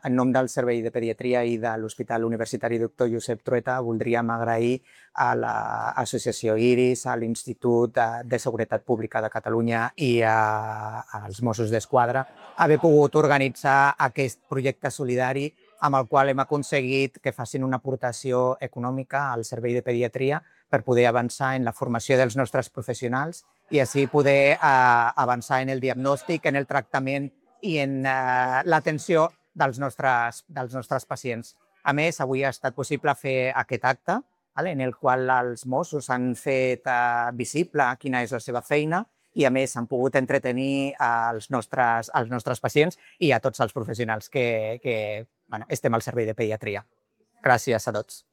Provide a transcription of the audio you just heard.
En nom del Servei de Pediatria i de l'Hospital Universitari Dr. Josep Trueta voldríem agrair a l'Associació Iris, a l'Institut de Seguretat Pública de Catalunya i als Mossos d'Esquadra haver pogut organitzar aquest projecte solidari amb el qual hem aconseguit que facin una aportació econòmica al Servei de Pediatria per poder avançar en la formació dels nostres professionals i així poder avançar en el diagnòstic, en el tractament i en l'atenció dels nostres pacients. A més, avui ha estat possible fer aquest acte en el qual els Mossos han fet visible quina és la seva feina i, a més, han pogut entretenir els nostres pacients i a tots els professionals que estem al servei de pediatria. Gràcies a tots.